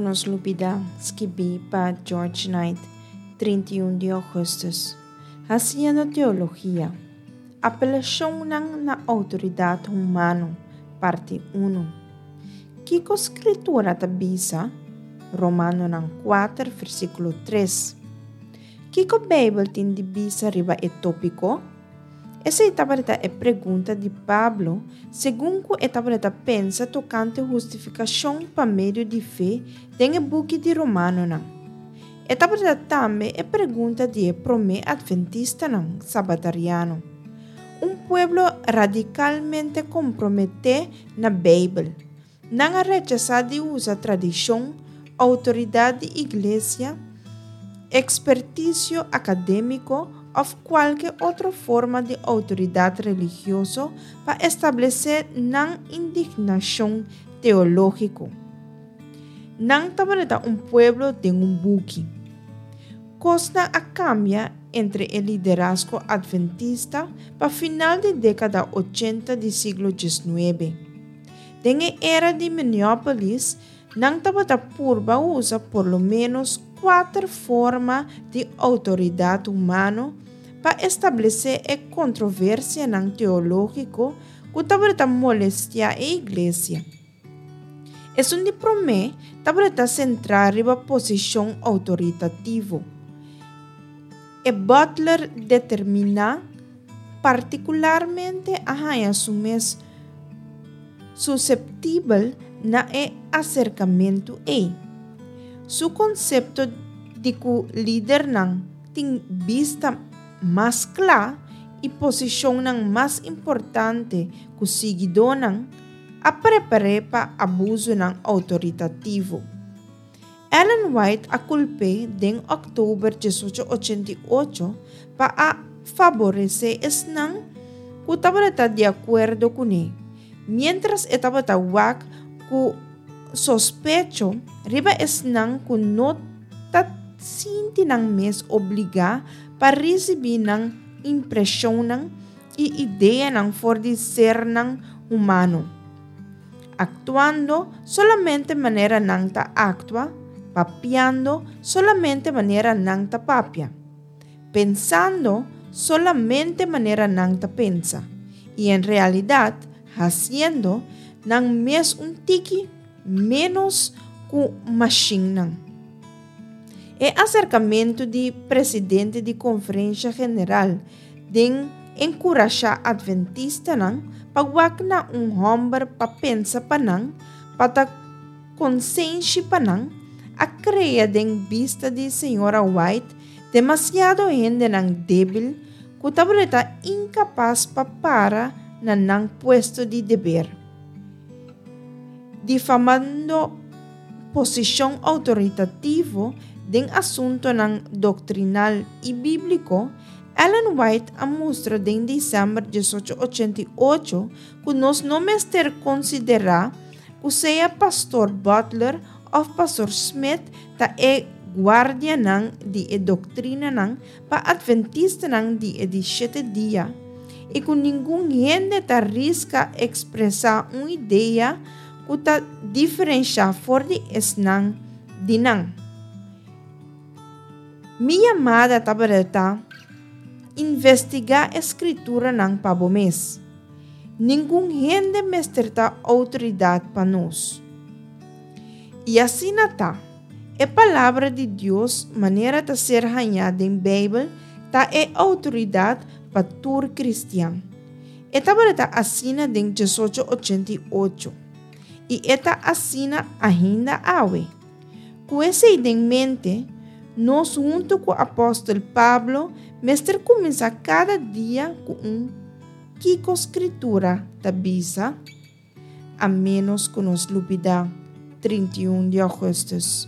nos lubidá, skibí pa George Knight, 31 di ougùstùs. Hasiendo teologia. Apelashonnan na outoridat humano, parti unu. Kiko Skritura ta bisa? Romanonan kuater, versíkulo tres. Kiko Beibel tin di bisa riba e tópiko? Esei tabata e pregunta di Pablo segun ku e tabata pensa tokante hustifikashon pa medio di fe den e buki di Romanonan. E tabata tambe e pregunta di e promé atventistanan sabatariano, un pueblo radikalmente komprometé na Beibel. Nan a rechasá di usa tradishon, outoridat di iglesia, ekspertisio akadémiko òf kualke otro forma di outoridat religioso pa establesé nan indignashon teológiko. Nan tabata un pueblo den un buki. Kosnan a kambia entre e liderazgo adventista pa final di dékada ochenta di siglo diesnuebe. Den e era di Minneapolis, nan tabata purba usa por lo ménos kuater forma di outoridat humano pa establesé e kontroversianan teológiko ku tabata molestiá e iglesia. Esun di promé tabata sentrá riba posishon outoritativo. E butler determiná partikularmente a haña su mes suseptibel na e aserkamentu ei. Su konsepto di ku lidernan tin bista mas kla i posishonnan mas importante ku siguidónan a prepar'é pa abusunan outoritativo. Ellen White a kulp'é den òktober diesocho ochenta i ocho pa a faboresé esnan ku tabata di akuerdo kuné, miéntras e tabata wak ku sospecho riba esnan ku no ta sinti nan mes obligá pa risibí nan impreshonnan i ideanan for di sernan humano, aktuando solamente manera nan ta aktua, papiando solamente manera nan ta papia, pensando solamente manera nan ta pensa, i en realidat hasiendo nan mes un tiki ménos ku mashinnan. E aserkamentu di presidente di Konferensha General den enkurashá atventistanan pa wak na un hòmber pa pensa pa nan, pa ta konsenshi pa nan, a krea den bista di señora White demasiado hendenan débil ku tabata inkapas pa para na nan puesto di deber. Difamando posishon outoritativo den asuntonan doktrinal i bíbliko, Ellen White a mustra den desèmber diesocho ochenta i ocho ku nos no mester konsiderá ku sea Pastor Butler òf Pastor Smith ta e guardianan di e doktrinanan pa Atventistanan di e di shete dia i ku ningun hende ta riska ekspresá un idea ku ta diferenshá for di esnan di nan. Mi yamada tabata ta, Investigá e Skrituranan pa bo mes. Ningun hende mester ta outoridat pa nos. I asina ta, e Palabra di Dios manera ta ser hañá den Beibel ta e outoridat pa tur kristian. E tabata asina den diesocho ochenta i ocho, i e ta asina ainda awe. Ku esei den mente, nos huntu ku apòstel Pablo mester kuminsá kada dia ku un Kiko Skritura ta bisa? A ménos ku nos lubidá 31 di ougùstùs.